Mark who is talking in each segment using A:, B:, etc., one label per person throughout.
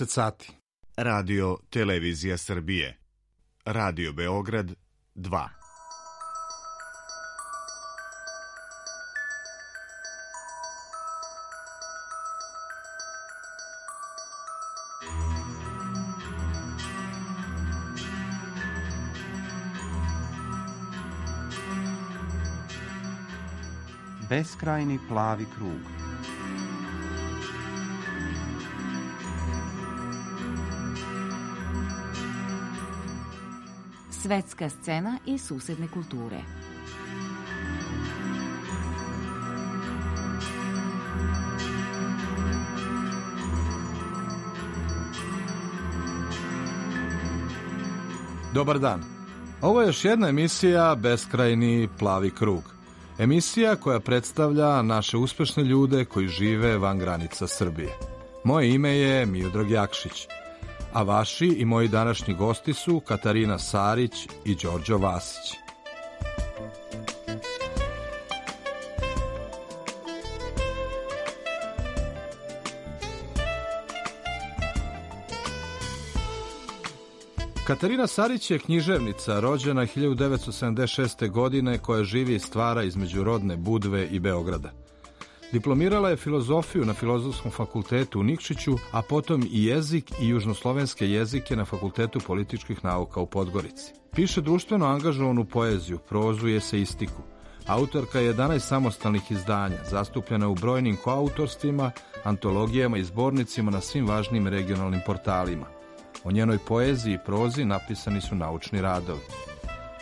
A: 20 sati. Radio Televizija Srbije. Radio Beograd 2.
B: Beskrajni plavi krug.
C: Svetska scena i susedne kulture.
A: Dobar dan. Ovo je još jedna emisija Beskrajni plavi krug. Emisija koja predstavlja naše uspešne ljude koji žive van granica Srbije. Moje ime je Miodrag Jakšić, a vaši i moji današnji gosti su Katarina Sarić i Đorđo Vasić. Katarina Sarić je književnica, rođena 1976. godine, koja živi i stvara između rodne Budve i Beograda. Diplomirala je filozofiju na Filozofskom fakultetu u Nikšiću, a potom i jezik i južnoslovenske jezike na Fakultetu političkih nauka u Podgorici. Piše društveno angažovanu poeziju, prozu i eseistiku. Autorka je 11 samostalnih izdanja, zastupljena u brojnim koautorstvima, antologijama i zbornicima na svim važnim regionalnim portalima. O njenoj poeziji i prozi napisani su naučni radovi.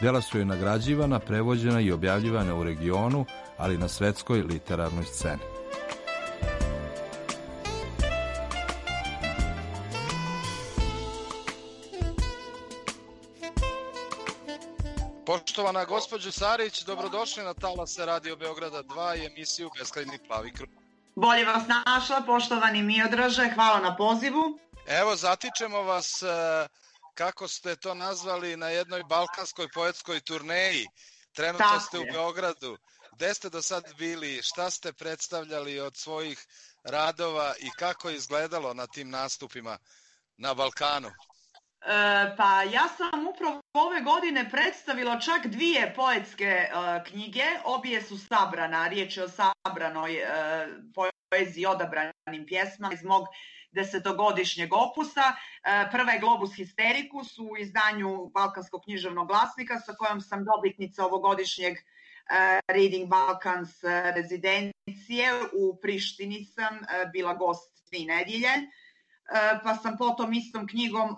A: Dela su joj nagrađivana, prevođena i objavljivana u regionu, ali i na svetskoj literarnoj sceni.
D: Poštovana gospođo Sarić, dobrodošli na talase Radio Beograda 2 i emisiju Beskrajni plavi krug.
E: Bolje vas našla, poštovani Miodraže, hvala na pozivu.
D: Evo, zatičemo vas, kako ste to nazvali, na jednoj balkanskoj poetskoj turneji. Trenutno ste u Beogradu. Gde ste do sad bili, šta ste predstavljali od svojih radova i kako je izgledalo na tim nastupima na Balkanu?
E: Pa ja sam upravo ove godine predstavila čak 2 poetske knjige, obje su sabrana, riječ je o sabranoj poeziji, odabranim pjesmama iz mog 10-godišnjeg opusa. Prva je Globus Historicus u izdanju Balkanskog književnog glasnika, sa kojom sam dobitnica ovogodišnjeg Reading Balkans rezidencije. U Prištini sam bila gost 3 nedjelje, pa sam potom istom knjigom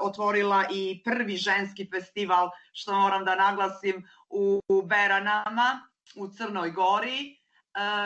E: otvorila i prvi ženski festival, što moram da naglasim, u Beranama u Crnoj Gori,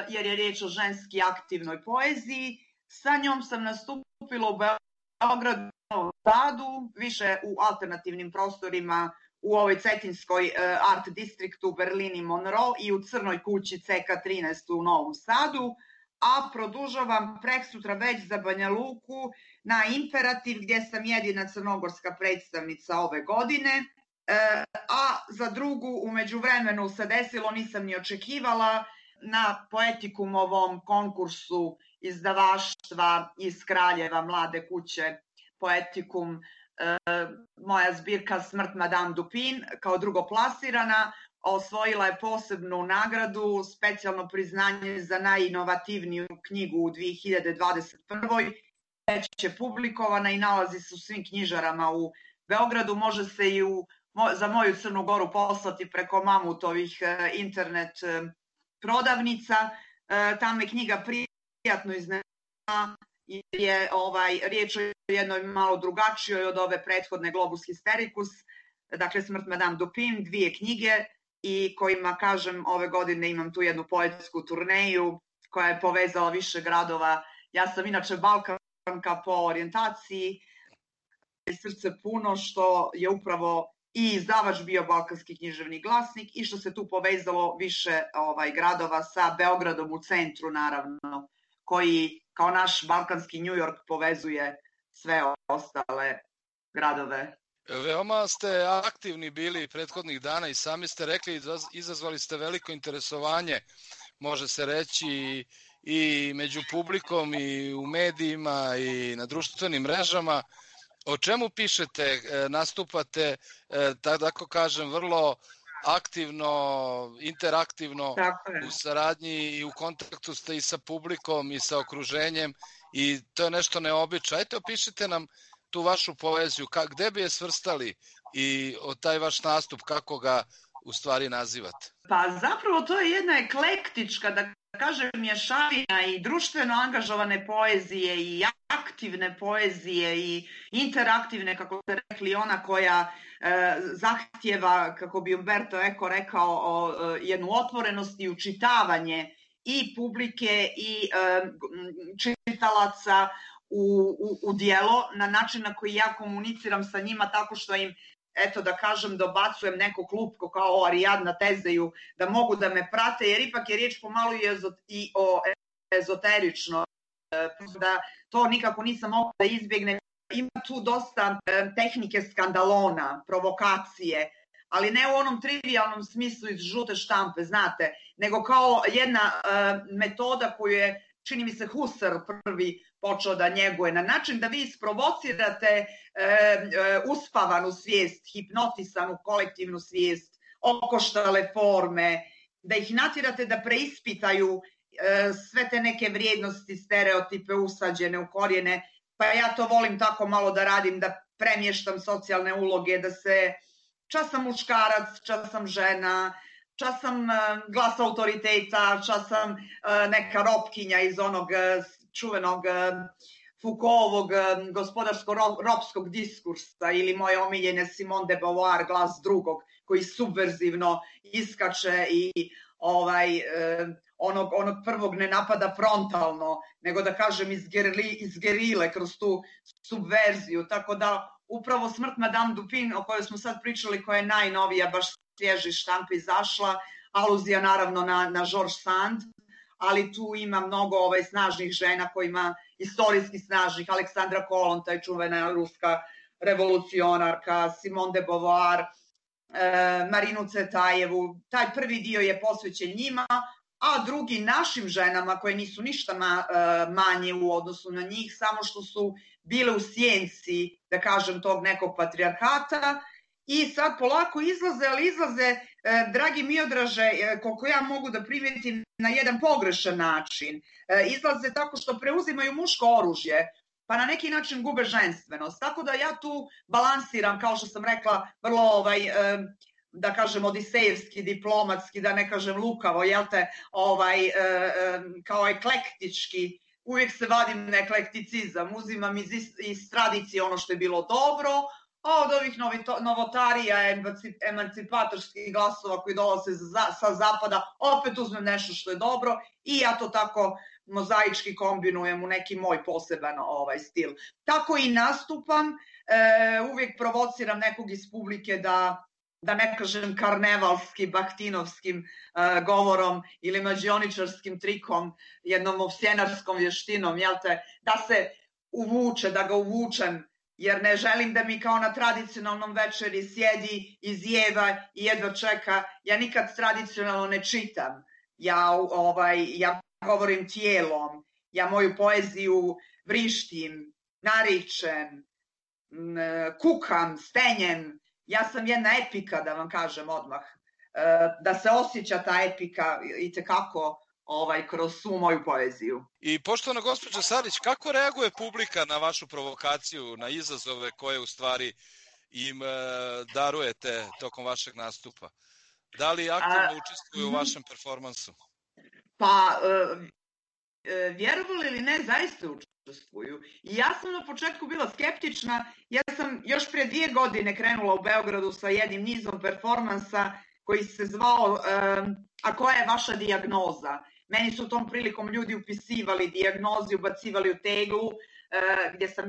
E: jer je riječ o ženski aktivnoj poeziji. Sa njom sam nastupila u Beogradu, u Sadu, više u alternativnim prostorima u ovoj cetinskoj art distriktu u Berlini Monroe i u Crnoj kući CK13 u Novom Sadu, a produžavam preksutra već za Banja Luku na Imperativ, gdje sam jedina crnogorska predstavnica ove godine, a za drugu u međuvremenu se desilo, nisam ni očekivala, na Poetikumovom konkursu izdavaštva iz Kraljeva Mlade kuće Poetikum, moja zbirka Smrt Madame Dupin kao drugoplasirana osvojila je posebnu nagradu, specijalno priznanje za najinovativniju knjigu u 2021. Već je publikovana i nalazi se u svim knjižarama u Beogradu. Može se i za moju Crnu Goru poslati preko Mamutovih internet prodavnica. Tamo je knjiga prijatno iznenadila, jer je riječ o jednoj malo drugačijoj od ove prethodne Globus Historicus, dakle Smrt Madame Dupin, 2 knjige i kojima, kažem, ove godine imam tu jednu poetsku turneju koja je povezala više gradova. Ja sam inače Balkanka po orijentaciji, srce puno što je upravo i izdavač bio Balkanski književni glasnik i što se tu povezalo više gradova sa Beogradom u centru, naravno, koji kao naš balkanski New York povezuje sve ostale gradove.
D: Veoma ste aktivni bili prethodnih dana i sami ste rekli, izazvali ste veliko interesovanje, može se reći, i među publikom i u medijima i na društvenim mrežama. O čemu pišete, nastupate, tako kažem, vrlo aktivno, interaktivno u saradnji i u kontaktu ste i sa publikom i sa okruženjem i to je nešto neobično. Ajte, opišite nam tu vašu poeziju, gde bi je svrstali i taj vaš nastup, kako ga u stvari nazivate?
E: Pa zapravo to je jedna eklektička, da kažem, mješavina i društveno angažovane poezije i aktivne poezije i interaktivne, kako ste rekli, ona koja zahtjeva, kako bi Umberto Eco rekao, jednu otvorenost i učitavanje i publike i čitalaca u dijelo, na način na koji ja komuniciram sa njima tako što im, eto da kažem, dobacujem neko klupko kao Ariadna Tezeju, da mogu da me prate, jer ipak je riječ pomalo i o ezoterično, da to nikako nisam mogla da izbjegnem. Ima tu dosta tehnike skandalona, provokacije, ali ne u onom trivialnom smislu iz žute štampe, znate, nego kao jedna metoda koju je, čini mi se, Husserl prvi počeo da njeguje, na način da vi isprovocirate uspavanu svijest, hipnotisanu kolektivnu svijest, okoštale forme, da ih natjerate da preispitaju sve te neke vrijednosti, stereotipe usađene u korijene, pa ja to volim tako malo da radim, da premještam socijalne uloge, da se čas sam muškarac, čas sam žena, čas sam glas autoriteta, čas sam neka ropkinja iz onog čuvenog Foucaultovog gospodarsko-ropskog diskursa ili moje omiljene Simone de Beauvoir, glas drugog, koji subverzivno iskače i onog prvog ne napada frontalno, nego da kažem iz gerile kroz tu subverziju. Tako da upravo Smrt Madame Dupin, o kojoj smo sad pričali, koja je najnovija, baš svježi štampa izašla, aluzija naravno na George Sand, ali tu ima mnogo snažnih žena kojima, istorijski snažnih, Aleksandra Kolon, taj čuvena ruska revolucionarka, Simone de Beauvoir, Marinu Cvetajevu. Taj prvi dio je posvećen njima, a drugi našim ženama koje nisu ništa manje u odnosu na njih, samo što su bile u sjenci, da kažem, tog nekog patrijarhata i sad polako izlaze, ali izlaze, dragi Miodraže, koliko ja mogu da primetim, na jedan pogrešan način. Izlaze tako što preuzimaju muško oružje, pa na neki način gube ženstvenost. Tako da ja tu balansiram, kao što sam rekla, vrlo da kažem odisejevski, diplomatski, da ne kažem lukavo, jel te, kao eklektički, uvijek se vadim na eklekticizam, uzimam iz tradicije ono što je bilo dobro, a od ovih novotarija, emancipatorskih glasova koji dolaze sa zapada, opet uzmem nešto što je dobro i ja to tako mozaički kombinujem u neki moj poseban stil. Tako i nastupam, uvijek provociram nekog iz publike da ne kažem karnevalski, bahtinovskim govorom ili mađioničarskim trikom, jednom ovsjenarskom vještinom, jel te, da se uvuče, da ga uvučem, jer ne želim da mi kao na tradicionalnom večeri sjedi, izjeva i jedva čeka. Ja nikad tradicionalno ne čitam. Ja govorim tijelom, ja moju poeziju vrištim, naričem, kukam, stenjem. Ja sam jedna epika, da vam kažem odmah. Da se osjeća ta epika itekako kroz svu moju poeziju.
D: I poštovana gospođo Sarić, kako reaguje publika na vašu provokaciju, na izazove koje u stvari im darujete tokom vašeg nastupa? Da li aktivno učestvuju u vašem performansu?
E: Pa, vjerovali ili ne, zaista učestvuju. I ja sam na početku bila skeptična. Ja sam još prije 2 godine krenula u Beogradu sa jednim nizom performansa koji se zvao A koja je vaša dijagnoza? Meni su tom prilikom ljudi upisivali dijagnozi, ubacivali u teglu, gdje sam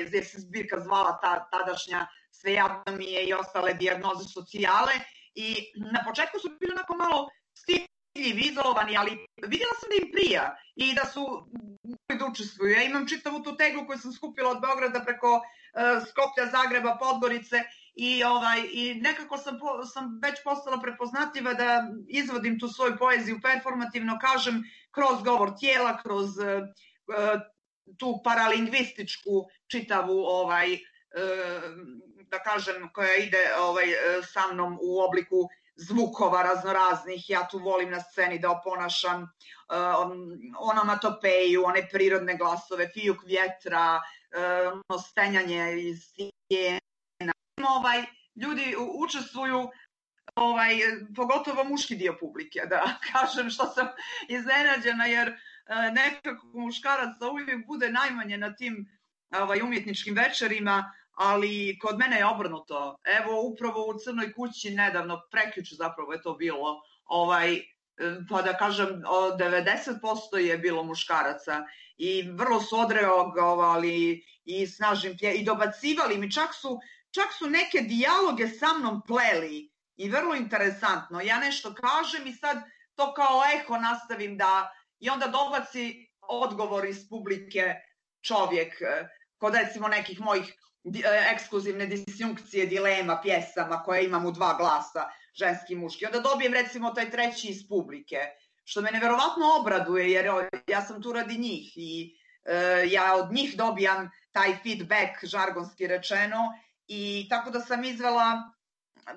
E: gdje se zbirka zvala tadašnja Svejadno mi je i ostale dijagnoze socijale. I na početku su bili onako malo stidljivi, izolovani, ali vidjela sam da im prija i da su da učestvuju. Ja imam čitavu tu teglu koju sam skupila od Beograda preko Skoplja, Zagreba, Podgorice I nekako sam već postala prepoznatljiva da izvodim tu svoju poeziju performativno, kažem, kroz govor tijela, kroz tu paralingvističku čitavu, da kažem, koja ide sa mnom u obliku zvukova raznoraznih. Ja tu volim na sceni da oponašam onomatopeju, one prirodne glasove, fijuk vjetra, stenjanje iz stijena. Ljudi učestvuju, pogotovo muški dio publike, da kažem, što sam iznenađena, jer nekako muškaraca uvijek bude najmanje na tim umjetničkim večerima, ali kod mene je obrnuto. Evo, upravo u Crnoj kući nedavno, prekjuče zapravo je to bilo, pa da kažem, 90% je bilo muškaraca i vrlo su odreagovali i snažnim i dobacivali mi, čak su neke dijaloge sa mnom pleli i vrlo interesantno. Ja nešto kažem i sad to kao eho nastavim i onda dobaci odgovor iz publike čovjek, kod recimo nekih mojih ekskluzivne disjunkcije, dilema, pjesama koje imam u 2 glasa, ženski i muški. Onda dobijem recimo taj treći iz publike, što me neverovatno obraduje, jer ja sam tu radi njih i ja od njih dobijam taj feedback, žargonski rečeno, i tako da sam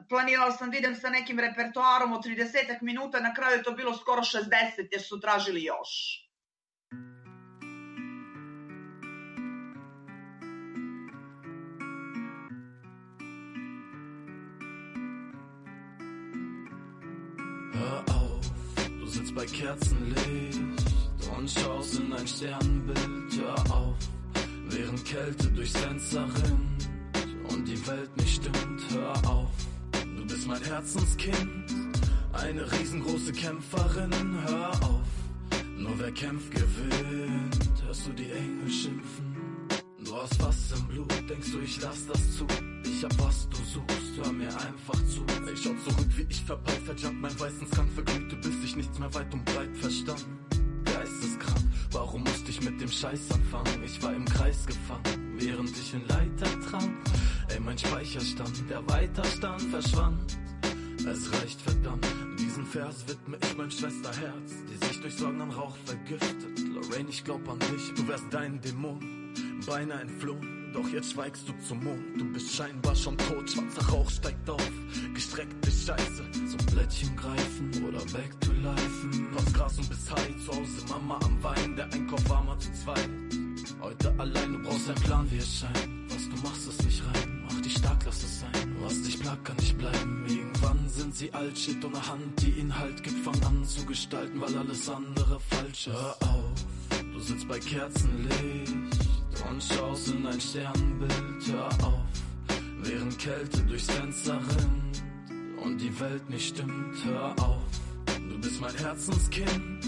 E: planirala sam da idem sa nekim repertoarom od 30 minuta, na kraju je to bilo skoro 60 jer su tražili još.
F: Hör auf, du sitzt bei Kerzenlicht und schaust in ein Sternbild. Hör auf, während Kälte durchs Fenster rinnt und die Welt nicht stimmt. Hör auf, du bist mein Herzenskind, eine riesengroße Kämpferin. Hör auf, nur wer kämpft gewinnt. Hörst du die Engel schimpfen? Du hast was im Blut, denkst du, ich lass das zu? Ich hab was du suchst, hör mir einfach zu. Ich schau zurück, wie ich verpeilt, jump mein weißen Skunk verglühte, bis ich nichts mehr weit und breit verstand. Geisteskrank, warum musste ich mit dem Scheiß anfangen? Ich war im Kreis gefangen, während ich in Leiter trank. Ey, mein Speicherstand, der Weiterstand verschwand. Es reicht verdammt, diesen Vers widme ich mein Schwesterherz, die sich durch Sorgen an Rauch vergiftet. Lorraine, ich glaub an dich, du wärst dein Dämon, beinahe entflohen, doch jetzt schweigst du zum Mond. Du bist scheinbar schon tot, schwarzer Rauch steigt auf, gestreckte Scheiße, zum Blättchen greifen oder back to life. Aus Gras und bis high, zu Hause Mama am Wein, der Einkauf war mal zu zweit. Heute allein, du brauchst einen Plan, wie es scheint. Was du machst, ist nicht rein, mach dich stark, lass es sein. Was dich plagt, kann nicht bleiben. Irgendwann sind sie alt, shit ohne Hand, die ihn halt gibt, fang an zu gestalten, weil alles andere falsch ist. Hör auf, du sitzt bei Kerzenlicht und schaust in ein Sternbild. Hör auf, während Kälte durchs Fenster rinnt und die Welt nicht stimmt. Hör auf, du bist mein Herzenskind,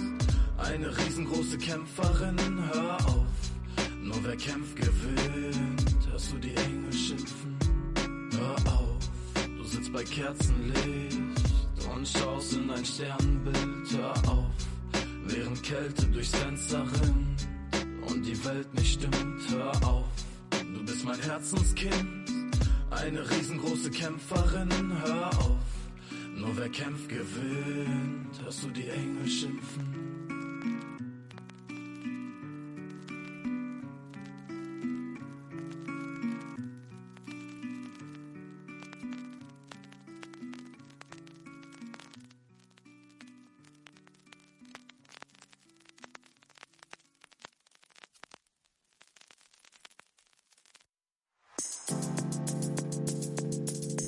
F: eine riesengroße Kämpferin. Hör auf, nur wer kämpft gewinnt. Hörst du die Engel schimpfen? Hör auf, du sitzt bei Kerzenlicht und schaust in ein Sternbild. Hör auf, während Kälte durchs Fenster rinnt und die Welt nicht stimmt. Hör auf, du bist mein Herzenskind, eine riesengroße Kämpferin. Hör auf, nur wer kämpft gewinnt. Hörst du die Engel schimpfen?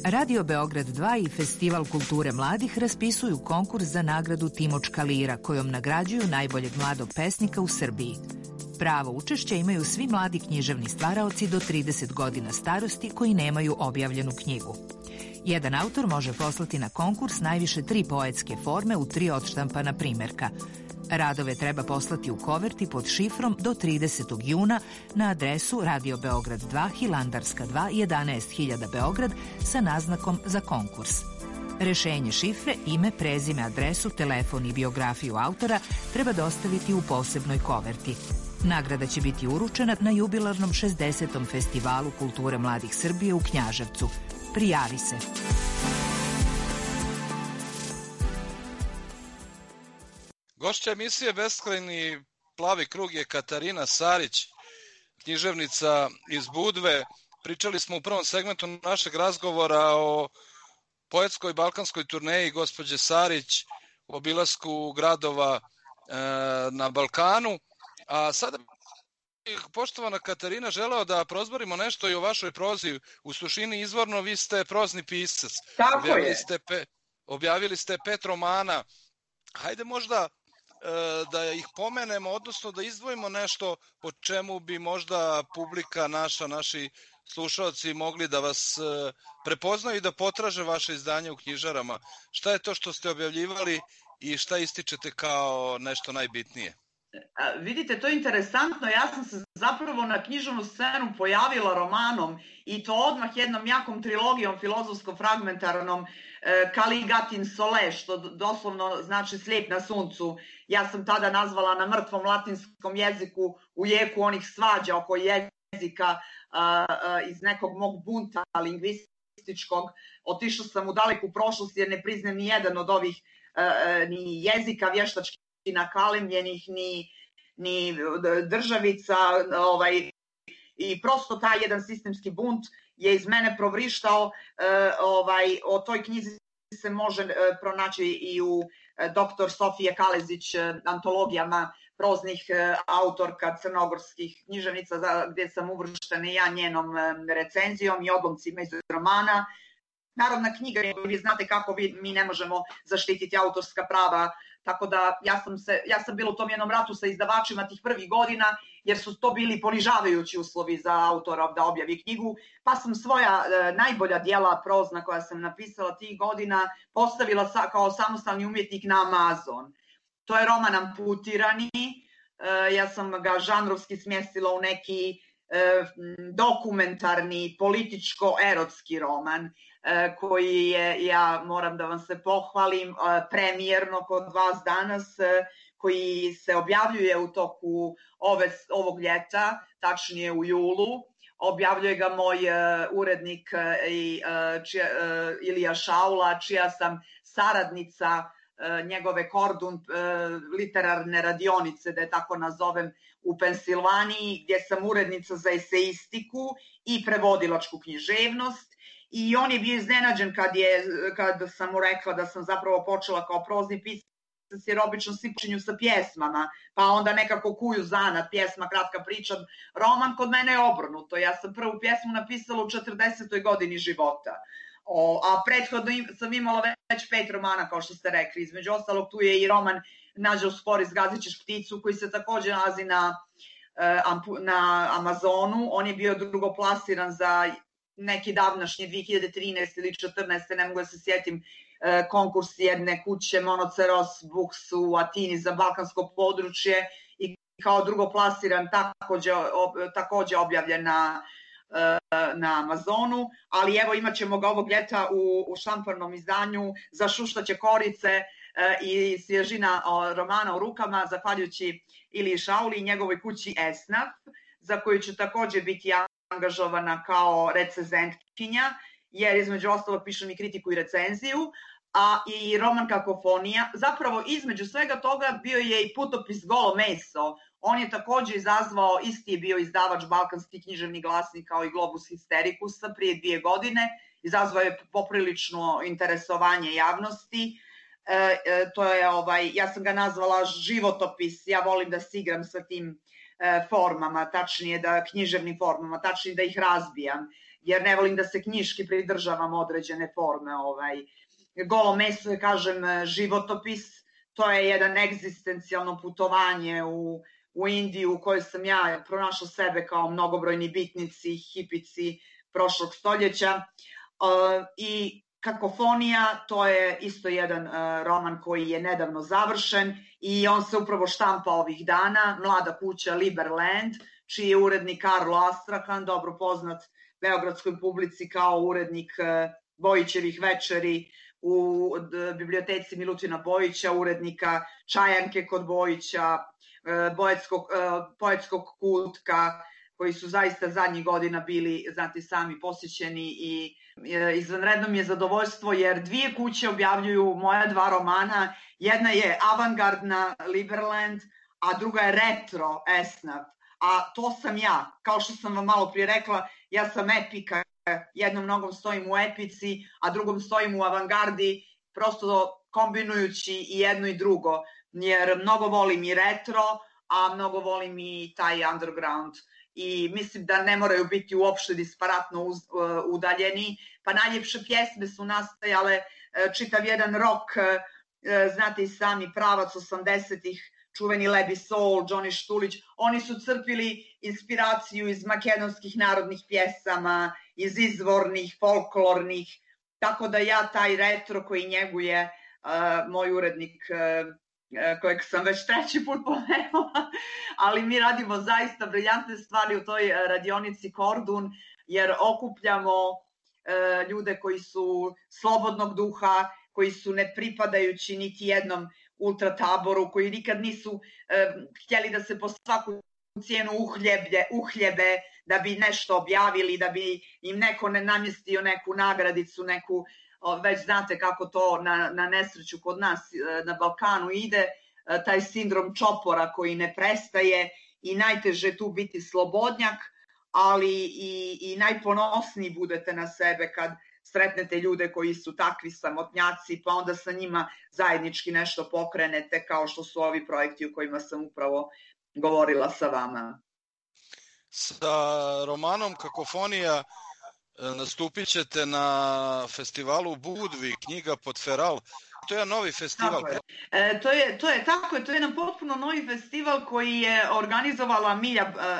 G: Radio Beograd 2 i Festival kulture mladih raspisuju konkurs za nagradu Timočka lira, kojom nagrađuju najboljeg mladog pesnika u Srbiji. Pravo učešća imaju svi mladi književni stvaraoci do 30 godina starosti koji nemaju objavljenu knjigu. Jedan autor može poslati na konkurs najviše 3 poetske forme u 3 odštampana primerka. Radove treba poslati u koverti pod šifrom do 30. juna na adresu Radio Beograd 2, Hilandarska 2, 11.000 Beograd sa naznakom za konkurs. Rešenje šifre, ime, prezime, adresu, telefon i biografiju autora treba dostaviti u posebnoj koverti. Nagrada će biti uručena na jubilarnom 60. Festivalu kulture mladih Srbije u Knjaževcu. Prijavi se.
D: Gošća emisije Beskrajni plavi krug je Katarina Sarić, književnica iz Budve. Pričali smo u prvom segmentu našeg razgovora o poetskoj balkanskoj turneji gospođe Sarić, u obilasku gradova na Balkanu. A sada, poštovana Katarina, želeo da prozborimo nešto i o vašoj prozi. U suštini izvorno vi ste prozni pisac.
E: Tako je.
D: Objavili ste 5 romana. Hajde možda da ih pomenemo, odnosno da izdvojimo nešto po čemu bi možda publika naši slušalci mogli da vas prepoznaju i da potraže vaše izdanje u knjižarama. Šta je to što ste objavljivali i šta ističete kao nešto najbitnije?
E: Vidite, to je interesantno. Ja sam se zapravo na književnu scenu pojavila romanom i to odmah jednom jakom trilogijom filozofsko-fragmentarnom Kaligatin Sole, što doslovno znači slijep na suncu. Ja sam tada nazvala na mrtvom latinskom jeziku u jeku onih svađa oko jezika iz nekog mog bunta lingvističkog. Otišla sam u daleku prošlost jer ne priznajem ni jedan od ovih ni jezika vještački nakalemljenih, ni državica, i prosto taj jedan sistemski bunt je iz mene provrištao. O toj knjizi se može pronaći i u dr. Sofije Kalezić antologijama proznih autorka crnogorskih književnica, gdje sam uvrštena ja njenom recenzijom i odlomcima iz romana. Narodna knjiga, vi znate kako mi ne možemo zaštititi autorska prava, tako da ja sam bila u tom jednom ratu sa izdavačima tih prvih godina, jer su to bili ponižavajući uslovi za autora da objavi knjigu, pa sam svoja najbolja djela prozna koja sam napisala tih godina postavila kao samostalni umjetnik na Amazon. To je roman Amputirani, ja sam ga žanrovski smjestila u neki dokumentarni, političko-erotski roman, koji je, ja moram da vam se pohvalim, premijerno kod vas danas, koji se objavljuje u toku ovog ljeta, tačnije u julu. Objavljuje ga moj urednik Ilija Šaula, čija sam saradnica njegove Kordun literarne radionice, da je tako nazovem, u Pensilvaniji, gdje sam urednica za eseistiku i prevodilačku književnost. I on je bio iznenađen kad sam mu rekla da sam zapravo počela kao prozni pisac, jer obično svi počinju sa pjesmama, pa onda nekako kuju zanat, pjesma, kratka priča. Roman kod mene je obrnuto. Ja sam prvu pjesmu napisala u 40. godini života. A prethodno sam imala već 5 romana, kao što ste rekli. Između ostalog, tu je i roman Nađe u spori, zgazit ćeš pticu, koji se također nalazi na Amazonu. On je bio drugoplasiran za neki davnašnji 2013 ili 2014, ne mogu da se sjetim, konkurs jedne kuće Monoceros Books u Atini za balkansko područje i kao drugoplasiran također objavljen na Amazonu, ali evo imat ćemo ga ovog ljeta u štamparnom izdanju za šuštaće korice i svježina romana u rukama, zahvaljujući Iliji Šauli i njegovoj kući Esnaf, za koju ću također biti angažovana kao recenzentkinja, jer između ostalog pišem i kritiku i recenziju, a i roman Kakofonija. Zapravo između svega toga bio je i putopis Golo meso. On je također izazvao, isti je bio izdavač Balkanski književni glasnik kao i Globus Historicusa prije 2 godine, izazvao je poprilično interesovanje javnosti. To je, ja sam ga nazvala životopis, ja volim da se igram sa tim formama, tačnije književnim formama, tačnije da ih razbijam, jer ne volim da se knjiški pridržavam određene forme. Golo meso je, kažem, životopis, to je jedan egzistencijalno putovanje u Indiju u kojoj sam ja pronašla sebe kao mnogobrojni bitnici, hipici prošlog stoljeća. I Kakofonija, to je isto jedan roman koji je nedavno završen i on se upravo štampa ovih dana, mlada kuća Liberland, čiji je urednik Karlo Astrahan, dobro poznat beogradskoj publici kao urednik Bojićevih večeri u biblioteci Milutina Bojića, urednika Čajanke kod Bojića, poetskog kutka, koji su zaista zadnjih godina bili, znate sami, posjećeni i izvanredno mi je zadovoljstvo jer 2 kuće objavljuju moja 2 romana. Jedna je avangardna Liberland, a druga je retro Esnaf. A to sam ja, kao što sam vam malo prije rekla, ja sam epika, jednom nogom stojim u epici, a drugom stojim u avangardi, prosto kombinujući i jedno i drugo, jer mnogo volim i retro, a mnogo volim i taj underground. I mislim da ne moraju biti uopšte disparatno udaljeni, pa najljepše pjesme su nastajale, čitav jedan rock, znate i sami, pravac 80-ih, čuveni Lebi Soul, Johnny Štulić, oni su crpili inspiraciju iz makedonskih narodnih pjesama, iz izvornih, folklornih, tako da ja taj retro koji njeguje moj urednik, kojeg sam već 3. put pomenula, ali mi radimo zaista briljantne stvari u toj radionici Kordun, jer okupljamo ljude koji su slobodnog duha, koji su ne pripadajući niti jednom ultrataboru, koji nikad nisu htjeli da se po svaku cijenu uhljebe da bi nešto objavili, da bi im neko ne namjestio neku nagradicu, neku, već znate kako to na nesreću kod nas na Balkanu ide, taj sindrom čopora koji ne prestaje i najteže je tu biti slobodnjak, ali i najponosniji budete na sebe kad sretnete ljude koji su takvi samotnjaci, pa onda sa njima zajednički nešto pokrenete, kao što su ovi projekti o kojima sam upravo govorila sa vama.
D: Sa romanom Kakofonija nastupit ćete na festivalu u Budvi, knjiga Podferal. To je jedan novi festival.
E: To je jedan potpuno novi festival koji je organizovala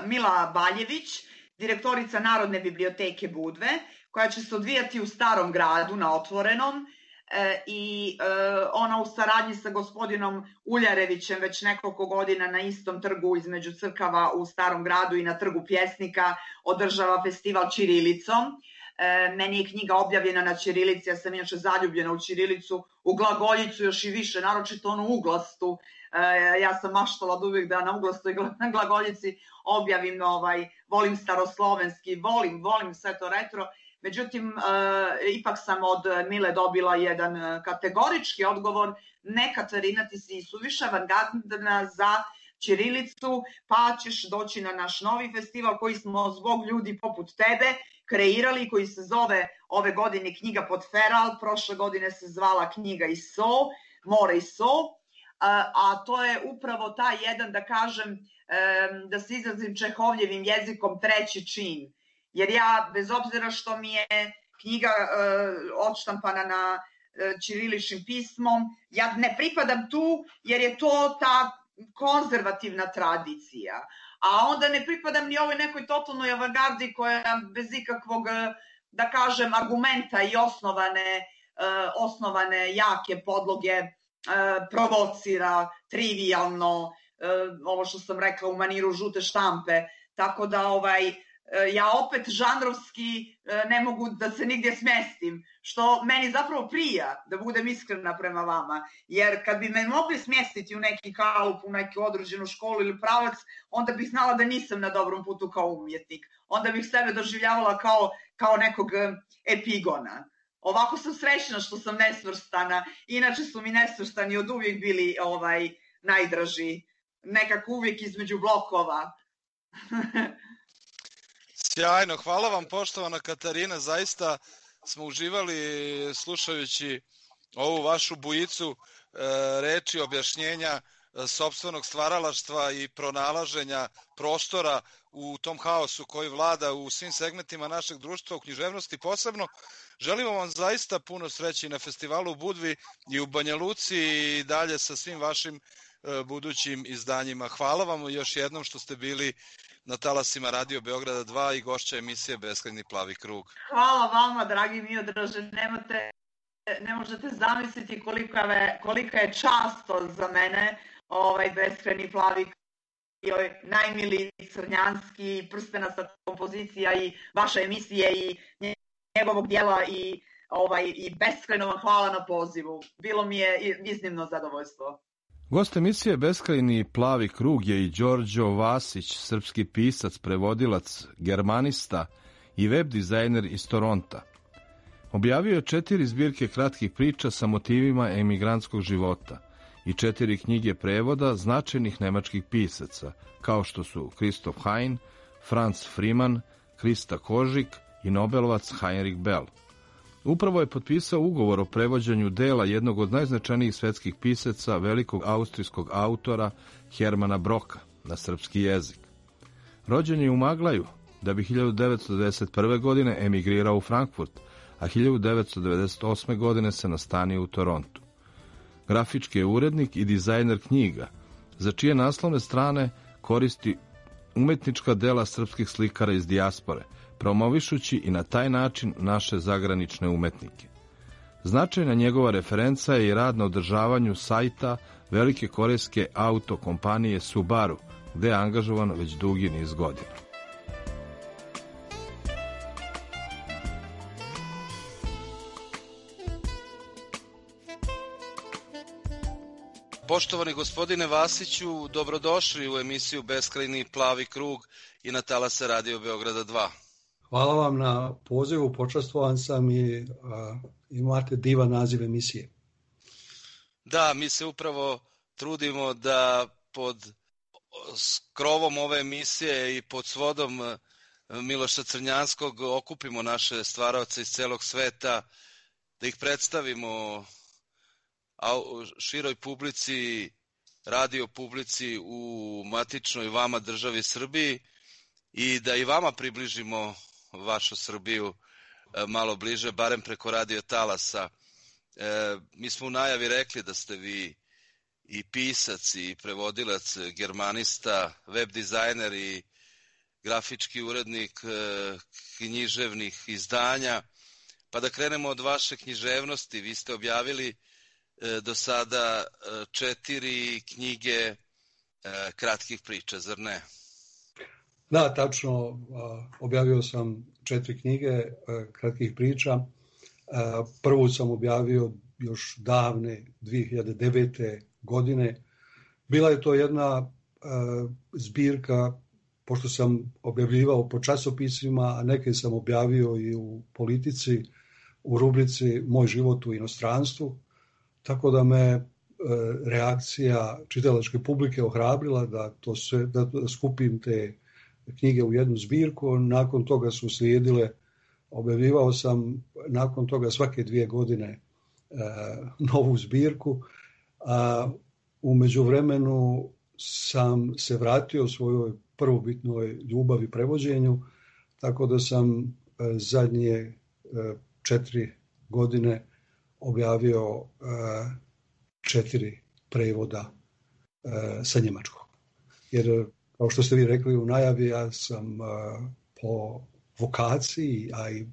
E: Mila Baljević, direktorica Narodne biblioteke Budve, koja će se odvijati u Starom gradu na otvorenom i ona u saradnji sa gospodinom Uljarevićem već nekoliko godina na istom trgu između crkava u Starom gradu i na trgu Pjesnika održava festival ćirilicom. Meni je knjiga objavljena na ćirilici, ja sam inače zaljubljena u ćirilicu, u glagoljicu još i više, naročito onu uglastu. Ja sam maštala od uvijek da na uglastoj glagoljici objavim, volim staroslovenski, volim sve to retro. Međutim, ipak sam od Mile dobila jedan kategorički odgovor, ne Katarina, ti si suviše avangardna za ćirilicu, pa ćeš doći na naš novi festival koji smo zbog ljudi poput tebe kreirali, koji se zove ove godine knjiga Podferal, prošle godine se zvala knjiga Iso, More Iso, a to je upravo taj jedan, da kažem, da se izrazim Čehovljevim jezikom, 3. čin. Jer ja, bez obzira što mi je knjiga odštampana na ćiriličnim pismom, ja ne pripadam tu jer je to ta konzervativna tradicija. A onda ne pripadam ni ovoj nekoj totalnoj avangardi koja bez ikakvog, da kažem, argumenta i osnovane jake podloge provocira, trivijalno, ovo što sam rekla u maniru žute štampe. Tako da ja opet žanrovski ne mogu da se nigdje smjestim, što meni zapravo prija, da budem iskrena prema vama, jer kad bi me mogli smjestiti u neki kalup, u neku određenu školu ili pravac, onda bih znala da nisam na dobrom putu kao umjetnik, onda bih sebe doživljavala kao nekog epigona. Ovako sam srećna što sam nesvrstana, inače su mi nesvrstani od uvijek bili najdraži, nekako uvijek između blokova.
D: Sjajno, hvala vam poštovana Katarina, zaista smo uživali slušajući ovu vašu bujicu reči, objašnjenja sopstvenog stvaralaštva i pronalaženja prostora u tom haosu koji vlada u svim segmentima našeg društva, u književnosti posebno. Želimo vam zaista puno sreće na festivalu u Budvi i u Banja Luci i dalje sa svim vašim budućim izdanjima. Hvala vam još jednom što ste bili na talasima Radio Beograda 2 i gošća emisije Beskrajni plavi krug.
E: Hvala vama, dragi Miodraže, ne možete zamisliti kolika je čast to za mene, Beskrajni plavi krug, najmiliji crnjanski, prstenasta kompozicija i vaša emisije i njegovog dijela i beskrajno vam hvala na pozivu. Bilo mi je iznimno zadovoljstvo.
A: Gost emisije Beskrajni plavi krug je i Đorđo Vasić, srpski pisac, prevodilac, germanista i web dizajner iz Toronta. Objavio je 4 zbirke kratkih priča sa motivima emigrantskog života i 4 knjige prevoda značajnih nemačkih pisaca, kao što su Christoph Hein, Franz Freeman, Krista Kožik i Nobelovac Heinrich Bell. Upravo je potpisao ugovor o prevođenju dela jednog od najznačajnijih svetskih pisaca, velikog austrijskog autora Hermana Broka, na srpski jezik. Rođen je u Maglaju, da bi 1991. godine emigrirao u Frankfurt, a 1998. godine se nastanio u Torontu. Grafički je urednik i dizajner knjiga, za čije naslovne strane koristi umetnička dela srpskih slikara iz dijaspore, promovišući i na taj način naše zagranične umetnike. Značajna njegova referenca je i rad na održavanju sajta velike korejske auto kompanije Subaru, gde je angažovan već dugi niz godina.
D: Poštovani gospodine Vasiću, dobrodošli u emisiju Beskrajni plavi krug i na talase Radio Beograda 2.
H: Hvala vam na pozivu, počastvovan sam i imate divan naziv emisije.
D: Da, mi se upravo trudimo da pod krovom ove emisije i pod svodom Miloša Crnjanskog okupimo naše stvaraoce iz celog sveta, da ih predstavimo široj publici, radio publici u matičnoj vama državi Srbiji i da i vama približimo vašu Srbiju malo bliže, barem preko radio talasa. Mi smo u najavi rekli da ste vi i pisac i prevodilac, germanista, web dizajner i grafički urednik književnih izdanja. Pa da krenemo od vaše književnosti. Vi ste objavili do sada 4 knjige kratkih priča, zar ne?
H: Da, tačno. Objavio sam 4 knjige kratkih priča. Prvu sam objavio još davne 2009. godine. Bila je to jedna zbirka, pošto sam objavljivao po časopisima, a neke sam objavio i u Politici, u rubrici Moj život u inostranstvu. Tako da me reakcija čitalačke publike ohrabrila da skupim te knjige u jednu zbirku. Nakon toga su slijedile, objavljivao sam nakon toga svake 2 godine novu zbirku. A u međuvremenu sam se vratio svojoj prvobitnoj ljubavi prevođenju, tako da sam zadnje 4 godine objavio 4 prevoda sa njemačkog. Jer, kao što ste vi rekli u najavi, ja sam po vokaciji, a i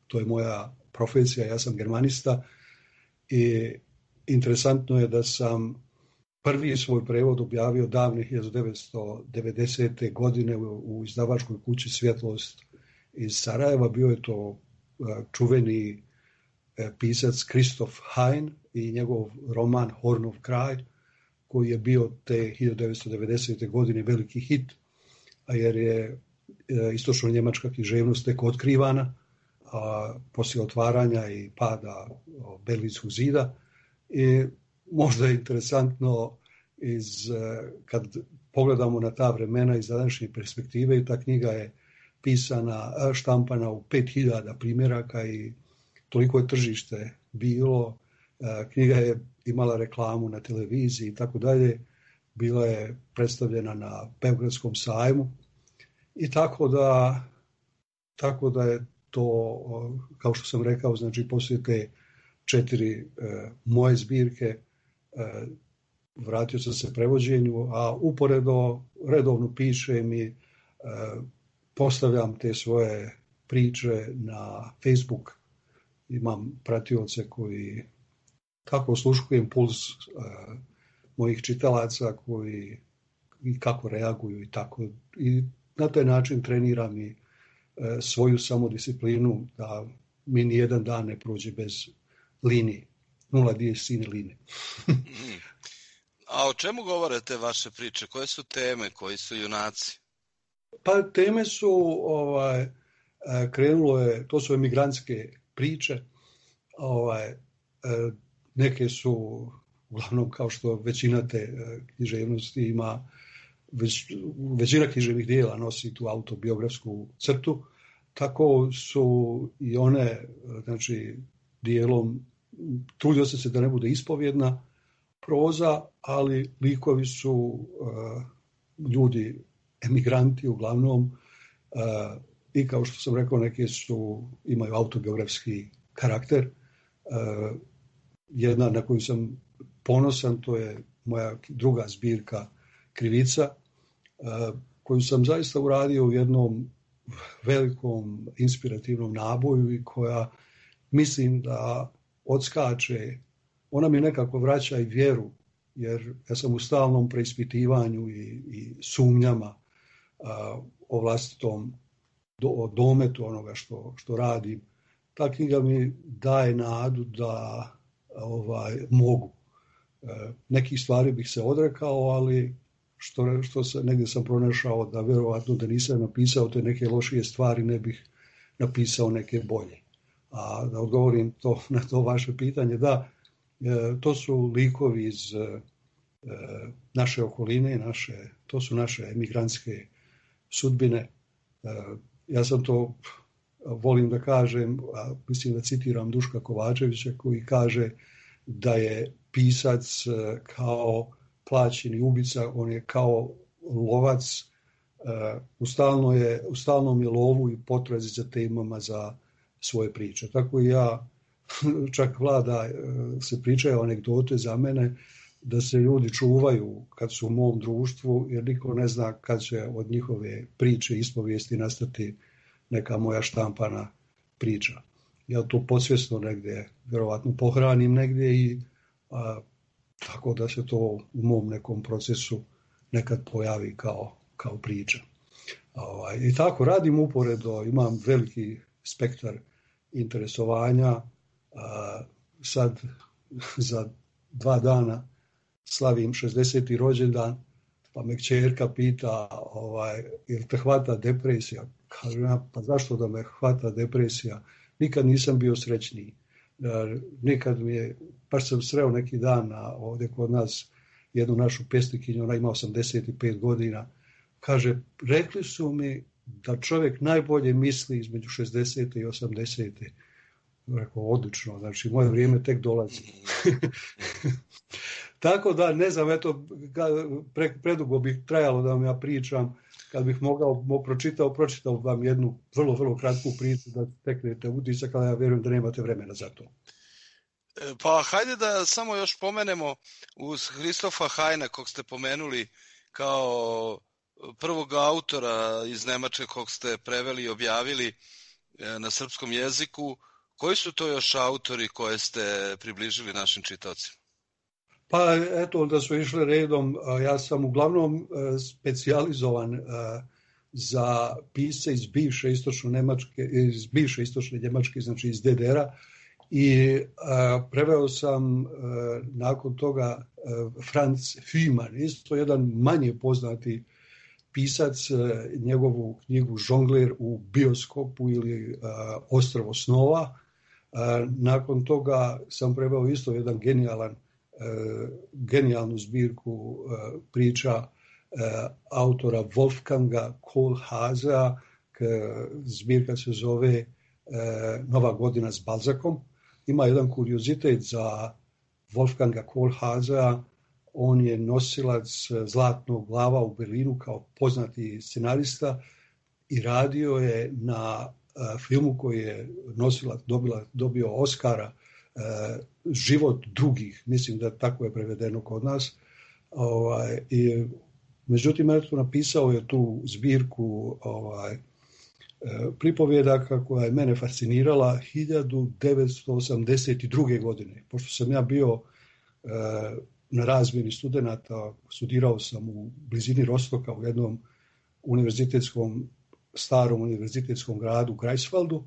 H: to je moja profesija, ja sam germanista i interesantno je da sam prvi svoj prevod objavio davne 1990. godine u izdavačkoj kući Svjetlost iz Sarajeva. Bio je to čuveni pisac Christoph Hein i njegov roman Hornov kraj, koji je bio te 1990. godine veliki hit, jer je istočno-njemačka književnost tek otkrivana poslije otvaranja i pada Berlinskog zida. I možda je interesantno kad pogledamo na ta vremena iz današnje perspektive, i ta knjiga je pisana, štampana u 5000 primjeraka i toliko je tržište bilo. Knjiga je imala reklamu na televiziji i tako dalje. Bila je predstavljena na Beogradskom sajmu i tako da je to, kao što sam rekao, znači poslije te 4 moje zbirke vratio sam se prevođenju, a uporedo redovno pišem i postavljam te svoje priče na Facebook. Imam pratioce koji tako osluškujem puls mojih čitalaca koji i kako reaguju i tako. I na taj način treniram i svoju samodisciplinu da mi nijedan dan ne prođe bez linije. 0 dies sine linije.
D: A o čemu govore te vaše priče? Koje su teme? Koji su junaci?
H: Pa teme su, krenulo je, to su emigrantske priče, neke su, uglavnom kao što većina te književnosti ima, većina književnih dijela nosi tu autobiografsku crtu, tako su i one, znači, dijelom, trudio se da ne bude ispovjedna proza, ali likovi su ljudi, emigranti uglavnom, i kao što sam rekao, neke imaju autobiografski karakter. Jedna na koju sam ponosan, to je moja druga zbirka Krivica, koju sam zaista uradio u jednom velikom inspirativnom naboju i koja mislim da odskače, ona mi nekako vraća i vjeru, jer ja sam u stalnom preispitivanju i sumnjama o vlastitom dometu onoga što radim. Ta knjiga mi daje nadu da mogu. Nekih stvari bih se odrekao, ali što negdje sam pronašao da vjerovatno da nisam napisao te neke lošije stvari, ne bih napisao neke bolje. A da odgovorim na to vaše pitanje, da, to su likovi iz naše okoline, to su naše emigrantske sudbine. Ja sam to, volim da kažem, mislim da citiram Duška Kovačevića koji kaže da je pisac kao plaćeni ubica, on je kao lovac, u stalnom je lovu i potrazi za temama za svoje priče. Tako i ja, čak vlada se pričaju anegdote za mene, da se ljudi čuvaju kad su u mom društvu, jer niko ne zna kad će od njihove priče, ispovijesti nastati neka moja štampana priča. Ja to podsvjesno negdje, vjerovatno pohranim negdje i tako da se to u mom nekom procesu nekad pojavi kao priča. I tako radim uporedo, imam veliki spektar interesovanja. Sad za 2 dana slavim 60. rođendan, pa me kćerka pita, jel te hvata depresija? Kažem ja, pa zašto da me hvata depresija? Nikad nisam bio srećniji. Nikad baš sam sreo neki dan ovdje kod nas jednu našu pjesnikinju, ona ima 85 godina. Kaže, rekli su mi da čovjek najbolje misli između 60. i 80. Rekao, odlično, znači moje vrijeme tek dolazi. Tako da, ne znam, eto, predugo bih trajalo da vam ja pričam. Kad bih mogao pročitao vam jednu vrlo, vrlo kratku priču da steknete utisak, ali ja vjerujem da nemate vremena za to.
D: Pa hajde da samo još pomenemo uz Christopha Heina, kog ste pomenuli kao prvog autora iz Nemačke kog ste preveli i objavili na srpskom jeziku. Koji su to još autori koje ste približili našim čitaocima?
H: Pa eto, da su išli redom, ja sam uglavnom specijalizovan za pisce iz bivše istočne Njemačke, znači iz DDR-a, i preveo sam nakon toga Franz Fühmann, isto jedan manje poznati pisac, njegovu knjigu Žongler u bioskopu ili Ostrvo snova. Nakon toga sam preveo isto jedan genijalnu zbirku priča autora Wolfganga Kohlhaasea. Zbirka se zove Nova godina s Balzakom. Ima jedan kuriozitet za Wolfganga Kohlhaasea. On je nosilac Zlatnog glava u Berlinu kao poznati scenarista i radio je na filmu koji je nosilac dobio Oscara, Život drugih, mislim da tako je prevedeno kod nas. Međutim, napisao je tu zbirku pripovjedaka koja je mene fascinirala 1982. godine. Pošto sam ja bio na razmjeni studenata, studirao sam u blizini Rostoka u jednom starom univerzitetskom gradu Greifswaldu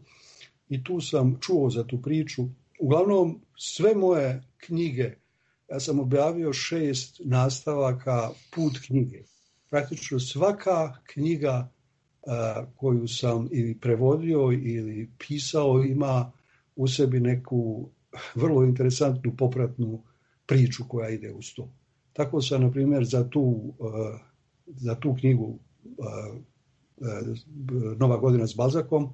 H: i tu sam čuo za tu priču. Uglavnom, sve moje knjige ja sam objavio 6 nastavaka Put knjige. Praktično svaka knjiga koju sam ili prevodio ili pisao ima u sebi neku vrlo interesantnu popratnu priču koja ide uz to. Tako sam, na primjer, za tu knjigu Nova godina s Balzakom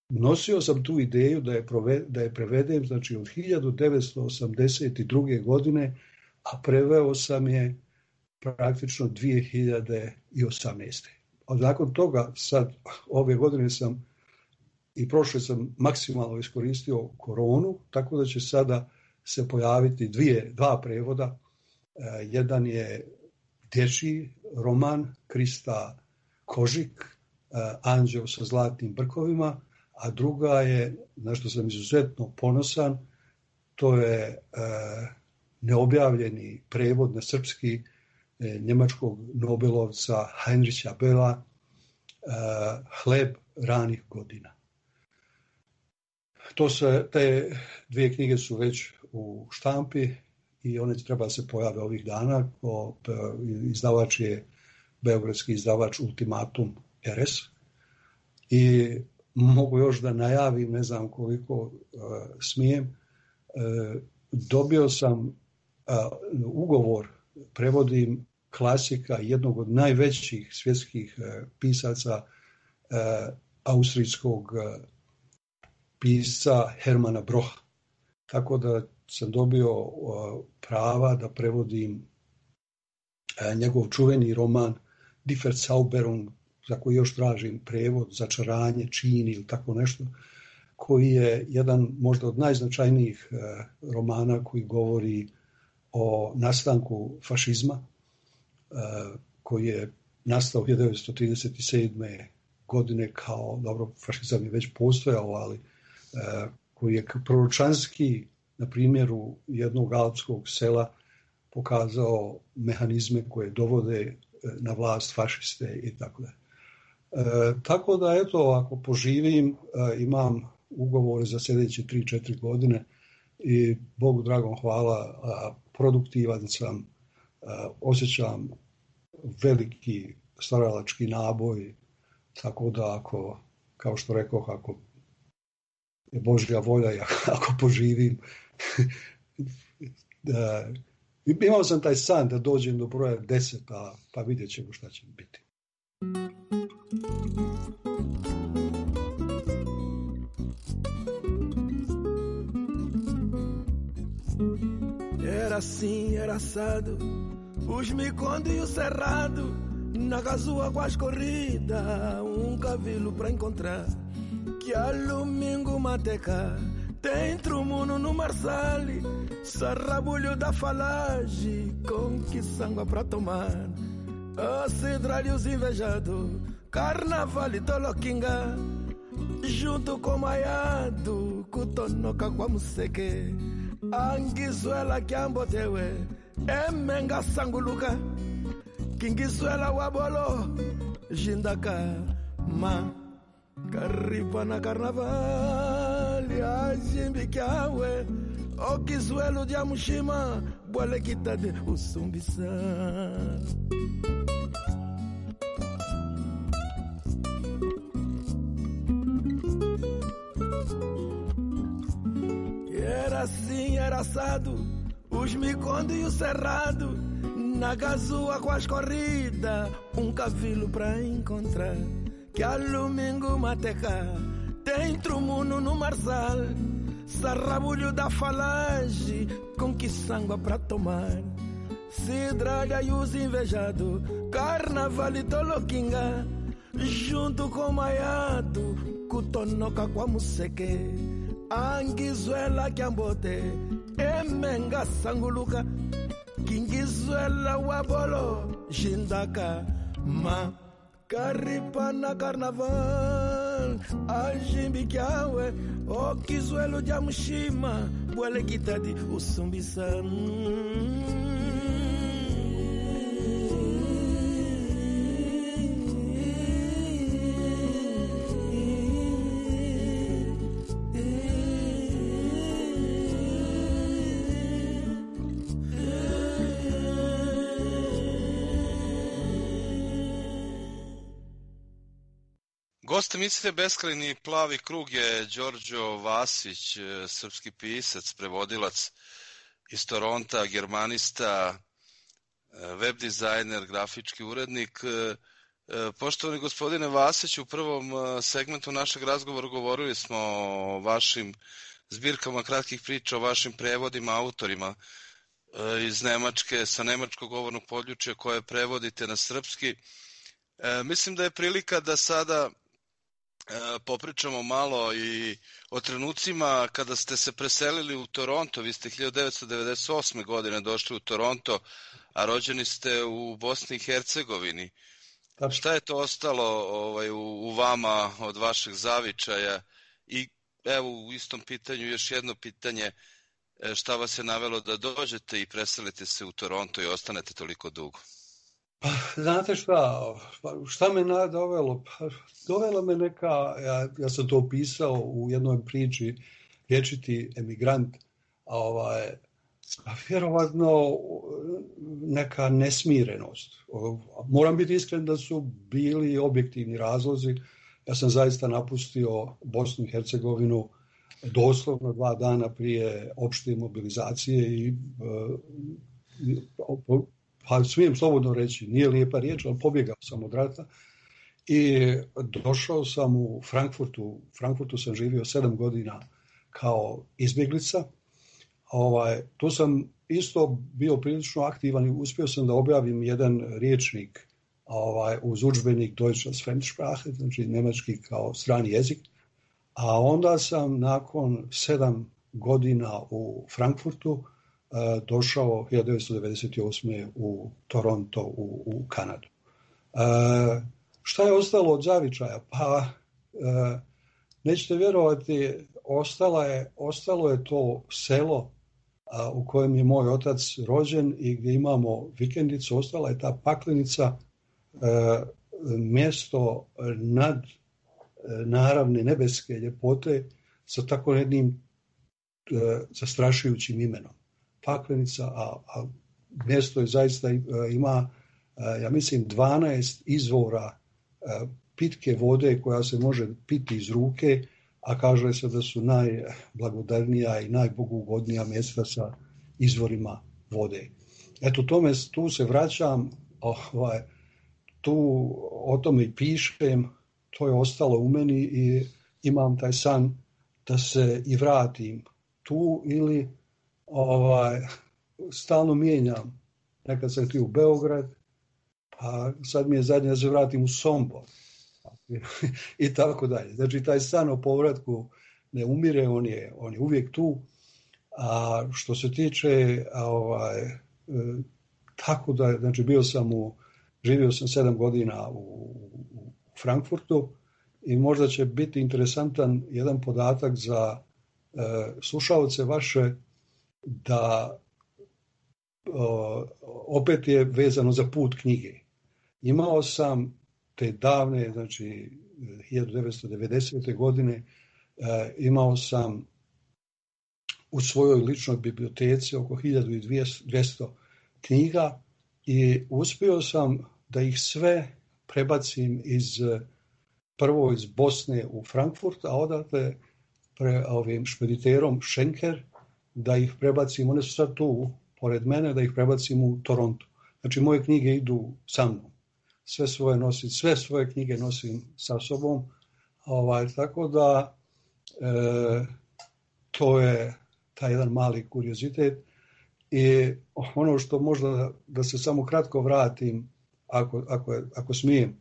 H: nosio sam tu ideju da je prevedem, znači od 1982. godine, a preveo sam je praktično 2018. A nakon toga, sad, ove godine sam i prošle sam maksimalno iskoristio koronu, tako da će sada se pojaviti dva prevoda. Jedan je dječji roman Krista Kožik, Anđeo sa zlatnim brkovima, a druga je, na što sam izuzetno ponosan, to je neobjavljeni prevod na srpski njemačkog nobelovca Heinricha Bella, Hleb ranih godina. Te 2 knjige su već u štampi i one treba se pojave ovih dana. Izdavač je beogradski izdavač Ultimatum RS. I mogu još da najavim, ne znam koliko smijem, dobio sam ugovor, prevodim klasika jednog od najvećih svjetskih pisaca, austrijskog pisca Hermana Brocha. Tako da sam dobio prava da prevodim njegov čuveni roman Die Verzauberung, za koji još tražim prevod, Začaranje, čin ili tako nešto, koji je jedan možda od najznačajnijih romana koji govori o nastanku fašizma, koji je nastao 1937. godine kao, dobro, fašizam je već postojao, ali koji je proročanski na primjeru jednog alpskog sela pokazao mehanizme koje dovode na vlast fašiste i tako da. Tako da, eto, ako poživim, imam ugovore za sljedeće 3-4 godine i Bogu dragom hvala, produktivan sam, osjećam veliki stvaralački naboj, tako da ako, kao što rekoh, ako je Božja volja i ako poživim, imao sam taj san da dođem do broja 10, pa vidjet ćemo šta će biti.
I: Era assim, era assado, os micões e o cerrado, na gazua com as corridas, cavilo pra encontrar, que a domingo mateca, tem trumuno no marsale, sarrabulho da falagem, com que sangue pra tomar, a cidra e os invejados, carnaval e toloquinga, junto com maiado, cutonoca com a museque, anguizuela que ambotewe, emenga sanguluka, kingizuela wabolo, jindaka, ma, caripa na carnaval, ajimbikiawe, o kizuelo de amushima, boale kitade usumbisa. Era assim, era assado, os micondos e o cerrado, na gazua com as corridas, cavilo pra encontrar, que a domingo mateca, tem trumuno no marsal, sarrabulho da falagem, com que sangue pra tomar, cidralha e os invejados, carnaval e toloquinga, junto com maiado, cutonoca com a museque, anguizuela que ambote, emenga sanguluka, kingizuela wabolo, jindaka, ma, caripa na carnaval, ajimbikiawe, o kizuelo de amushima, boale kitadi usumbisa.
D: Goste emisije Beskrajni plavi krug je Đorđo Vasić, srpski pisac, prevodilac iz Toronta, germanista, web dizajner, grafički urednik. Poštovani gospodine Vasić, u prvom segmentu našeg razgovora govorili smo o vašim zbirkama kratkih priča, o vašim prevodima, autorima iz Nemačke, sa nemačkog govornog područja koje prevodite na srpski. Mislim da je prilika da sada popričamo malo i o trenucima kada ste se preselili u Toronto. Vi ste 1998. godine došli u Toronto, a rođeni ste u Bosni i Hercegovini. Šta je to ostalo u vama od vašeg zavičaja? I evo u istom pitanju još jedno pitanje, šta vas je navelo da dođete i preselite se u Toronto i ostanete toliko dugo?
H: Pa, znate šta me dovelo? Dovela me neka, ja sam to opisao u jednoj priči, vječiti emigrant, vjerovatno neka nesmirenost. Moram biti iskren da su bili objektivni razlozi. Ja sam zaista napustio Bosnu i Hercegovinu doslovno 2 dana prije opšte mobilizacije i pa smijem slobodno reći, nije lijepa riječ, ali pobjegao sam od rata i došao sam u Frankfurtu. U Frankfurtu sam živio 7 godina kao izbjeglica. Tu sam isto bio prilično aktivan i uspio sam da objavim jedan riječnik uz udžbenik Deutsche als Fremdsprache, znači nemački kao strani jezik. A onda sam nakon 7 godina u Frankfurtu došao 1998. u Toronto u Kanadu. Šta je ostalo od zavičaja? Pa nećete vjerovati, ostalo je to selo u kojem je moj otac rođen i gdje imamo vikendicu. Ostala je ta paklenica, mjesto nad naravne nebeske ljepote sa tako jednim zastrašujućim imenom. Paklenica, a mjesto je zaista ima, ja mislim, 12 izvora pitke vode koja se može piti iz ruke, a kaže se da su najblagodarnija i najbogugodnija mjesta sa izvorima vode. Eto, tu se vraćam, o tome i pišem, to je ostalo u meni i imam taj san da se i vratim tu ili stalno mijenjam. Nekad sam htio u Beograd, pa sad mi je zadnje da se vratim u Sombor i tako dalje. Znači taj san o povratku ne umire, on je uvijek tu. A što se tiče tako da, znači živio sam 7 godina u Frankfurtu i možda će biti interesantan jedan podatak za slušalce vaše, da opet je vezano za put knjige. Imao sam te davne, znači 1990. godine, imao sam u svojoj ličnoj biblioteci oko 1200 knjiga i uspio sam da ih sve prebacim prvo iz Bosne u Frankfurt, a odatle ovim špediterom Schenker da ih prebacim, one su sad tu pored mene, da ih prebacim u Toronto. Znači moje knjige idu sa mnom. Sve svoje knjige nosim sa sobom. Tako da to je taj jedan mali kuriozitet. I ono što možda da se samo kratko vratim, ako smijem,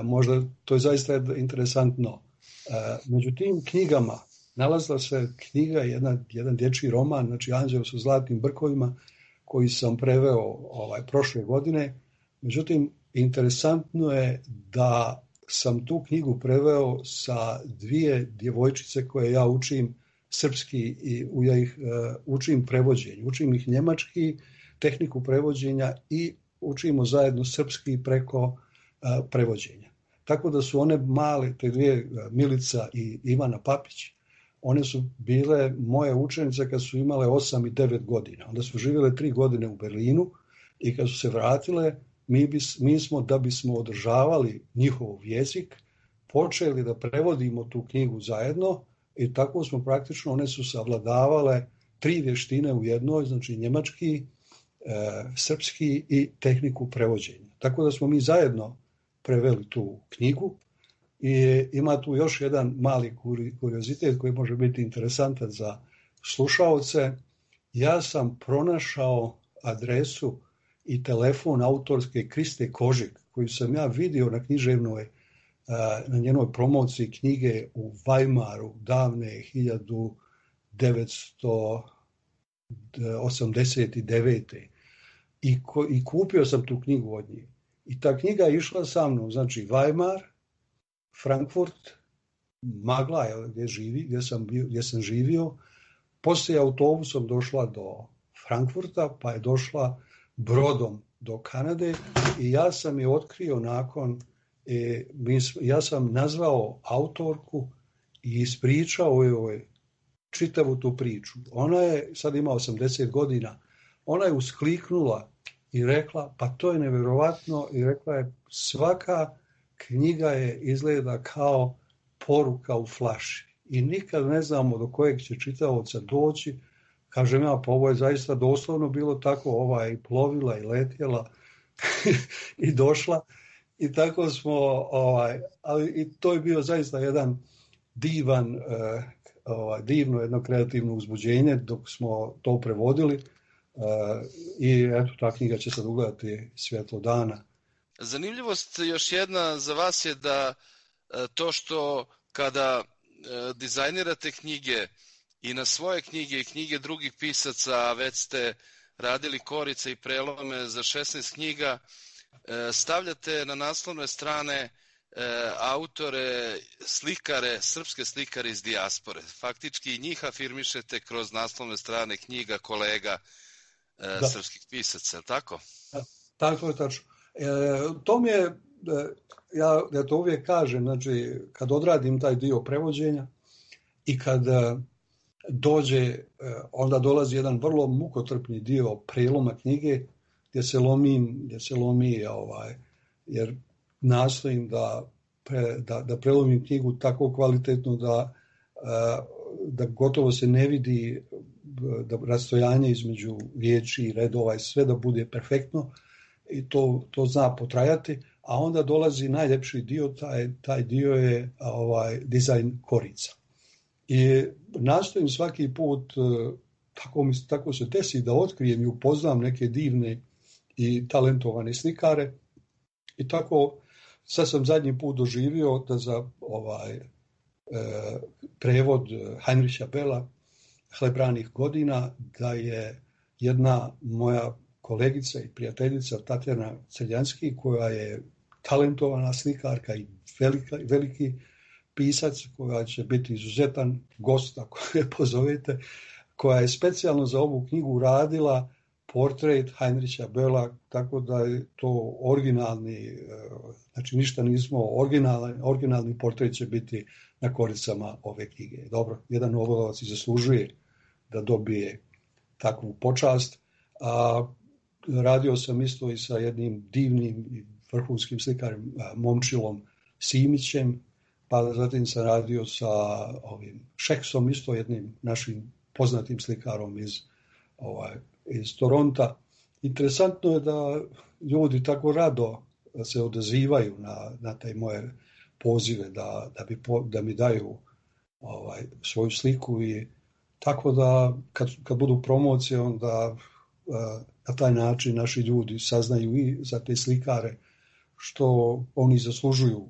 H: možda to je zaista interesantno. Među tim knjigama nalazila se knjiga, jedan dječji roman, znači Anđeo sa zlatnim brkovima, koji sam preveo prošle godine. Međutim, interesantno je da sam tu knjigu preveo sa 2 djevojčice koje ja učim srpski i ja ih učim prevođenju. Učim ih njemački, tehniku prevođenja i učimo zajedno srpski preko prevođenja. Tako da su one male, te 2, Milica i Ivana Papić, one su bile moje učenice kad su imale 8 i 9 godina. Onda su živjele 3 godine u Berlinu i kad su se vratile, mi smo, da bismo održavali njihov jezik, počeli da prevodimo tu knjigu zajedno i tako smo praktično, one su savladavale 3 vještine u jednoj, znači njemački, srpski i tehniku prevođenja. Tako da smo mi zajedno preveli tu knjigu i ima tu još jedan mali kuriozitet koji može biti interesantan za slušaoce. Ja sam pronašao adresu i telefon autorske Kriste Kožik, koju sam ja vidio na književnoj, na njenoj promociji knjige u Weimaru davne 1989. I kupio sam tu knjigu od nje. I ta knjiga je išla sa mnom, znači Weimar, Frankfurt, Magla, gdje sam živio. Poslije autobusom došla do Frankfurta, pa je došla brodom do Kanade i ja sam je otkrio nakon, ja sam nazvao autorku i ispričao joj čitavu tu priču. Ona je, sad ima 80 godina, ona je uskliknula i rekla, pa to je nevjerovatno, i rekla je, svaka knjiga je izgleda kao poruka u flaši i nikad ne znamo do kojeg će čitaoca doći. Kažem ja, pa ovo je zaista doslovno bilo tako, i plovila i letjela i došla i tako smo, ali i to je bio zaista jedan divno jedno kreativno uzbuđenje dok smo to prevodili i eto, ta knjiga će sad ugledati svjetlo dana.
D: Zanimljivost još jedna za vas je da to što kada dizajnirate knjige i na svoje knjige i knjige drugih pisaca, već ste radili korice i prelome za 16 knjiga, stavljate na naslovne strane autore, slikare, srpske slikare iz dijaspore. Faktički njih afirmišete kroz naslovne strane knjiga kolega srpskih pisaca, tako?
H: Tako je tačno. To mi je, ja to uvijek kažem, znači kad odradim taj dio prevođenja i kad dođe, onda dolazi jedan vrlo mukotrpni dio preloma knjige gdje se lomi, jer nastojim da prelomim knjigu tako kvalitetno da gotovo se ne vidi da rastojanje između riječi i redova i sve da bude perfektno i to zna potrajati, a onda dolazi najljepši dio, taj dio je dizajn korica. I nastojim svaki put, tako se desi da otkrijem i upoznam neke divne i talentovane slikare i tako sad sam zadnji put doživio da za prevod Heinricha Bella Hlebranih godina da je jedna moja kolegica i prijateljica Tatjana Celjanski, koja je talentovana slikarka i veliki pisac, koja će biti izuzetan gost ako je pozovete, koja je specijalno za ovu knjigu radila portret Heinricha Bella, tako da je to originalni, znači ništa nismo, originalni portret će biti na koricama ove knjige. Dobro, jedan nobelovac i zaslužuje da dobije takvu počast. Radio sam isto i sa jednim divnim i vrhunskim slikarem Momčilom Simićem, pa zatim sam radio sa ovim Šeksom, isto jednim našim poznatim slikarom iz Toronta. Interesantno je da ljudi tako rado se odazivaju na te moje pozive da mi daju svoju sliku i tako da kad budu promocije onda na taj način naši ljudi saznaju i za te slikare što oni zaslužuju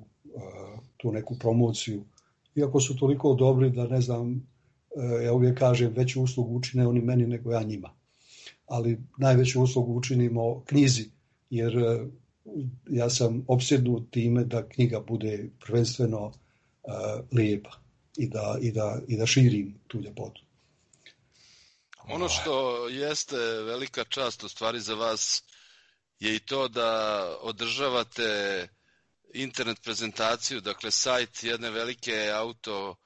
H: tu neku promociju. Iako su toliko dobri da ne znam, ja uvijek kažem veću uslugu učine oni meni nego ja njima. Ali najveću uslugu učinimo knjizi jer ja sam opsjednut time da knjiga bude prvenstveno lijepa i da širim tu ljepotu.
D: Ono što jeste velika čast u stvari za vas je i to da održavate internet prezentaciju, dakle sajt jedne velike auto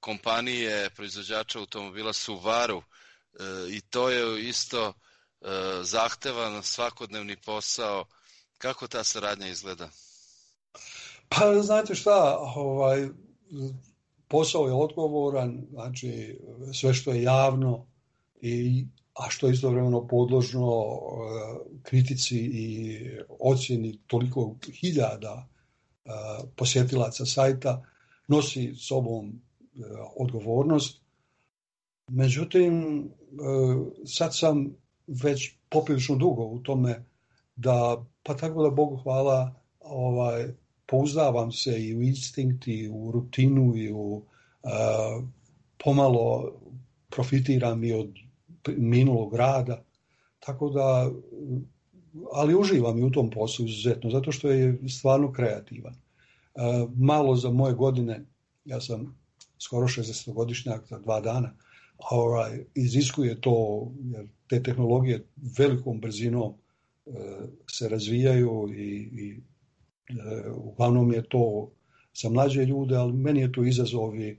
D: kompanije, proizvođača automobila Subaru, i to je isto zahtevan svakodnevni posao. Kako ta saradnja izgleda?
H: Pa znate šta, posao je odgovoran, znači sve što je javno, a što je istovremeno podložno kritici i ocjeni toliko hiljada posjetilaca sajta, nosi sobom odgovornost. Međutim, sad sam već poprilično dugo u tome pa tako da Bogu hvala, pouzdavam se i u instinkt i u rutinu i u pomalo profitiram i od minulog rada, tako da, ali uživam i u tom poslu izuzetno, zato što je stvarno kreativan. Malo za moje godine, ja sam skoro 60-godišnjak za 2 dana, iziskuje to, jer te tehnologije velikom brzinom se razvijaju i uglavnom je to za mlađe ljude, ali meni je to izazov i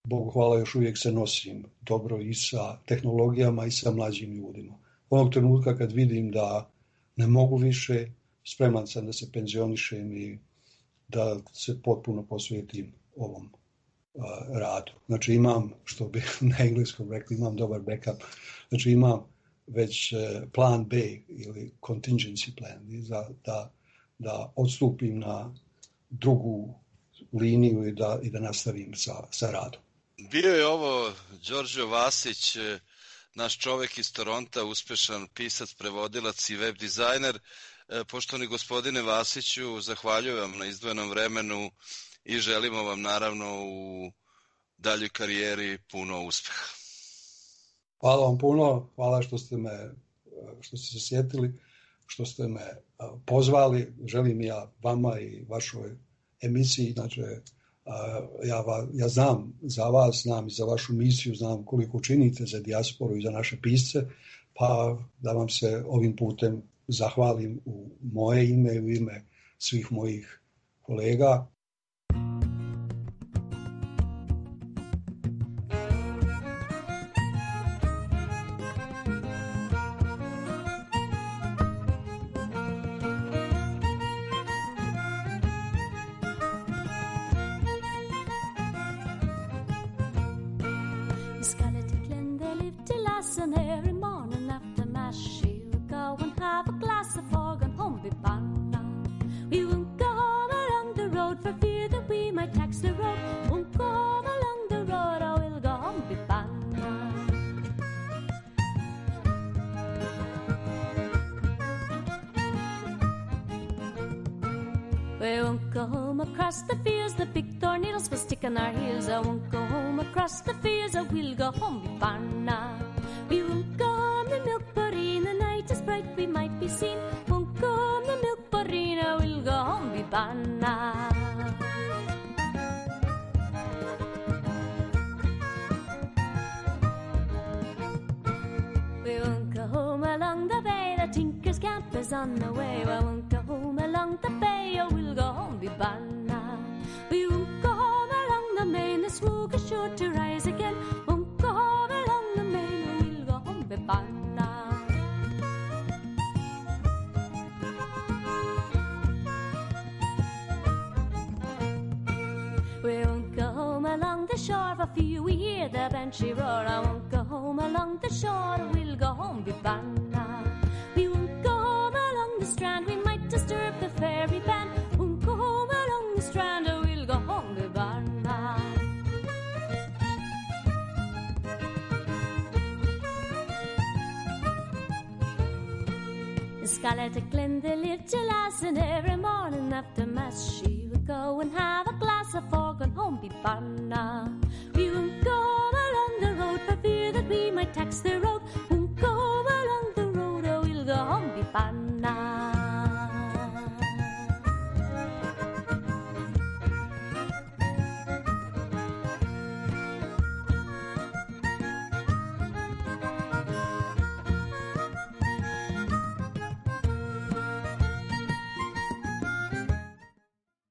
H: Bogu hvala još uvijek se nosim dobro i sa tehnologijama i sa mlađim ljudima. Onog trenutka kad vidim da ne mogu više, spreman sam da se penzionišem i da se potpuno posvetim ovom radu. Znači imam, što bi na engleskom rekli, imam dobar backup. Znači imam već plan B ili contingency plan da odstupim na drugu liniju i da nastavim sa radom.
D: Bio je ovo Đorđo Vasić, naš čovek iz Toronta, uspešan pisac, prevodilac i web dizajner. Poštovani gospodine Vasiću, zahvaljujem vam na izdvojenom vremenu i želimo vam naravno u daljoj karijeri puno uspeha.
H: Hvala vam puno, hvala što ste se sjetili, što ste me pozvali. Želim ja vama i vašoj emisiji, znači ja znam za vas, znam i za vašu misiju, znam koliko činite za dijasporu i za naše pisce, pa da vam se ovim putem zahvalim u moje ime i u ime svih mojih kolega.
J: Scarlett at Glendale lived till last, and every morning after mass she would go and have a glass of fog and home be banna. We won't go along the road for fear that we might tax the road. Won't go along the road, or we'll go home be banna.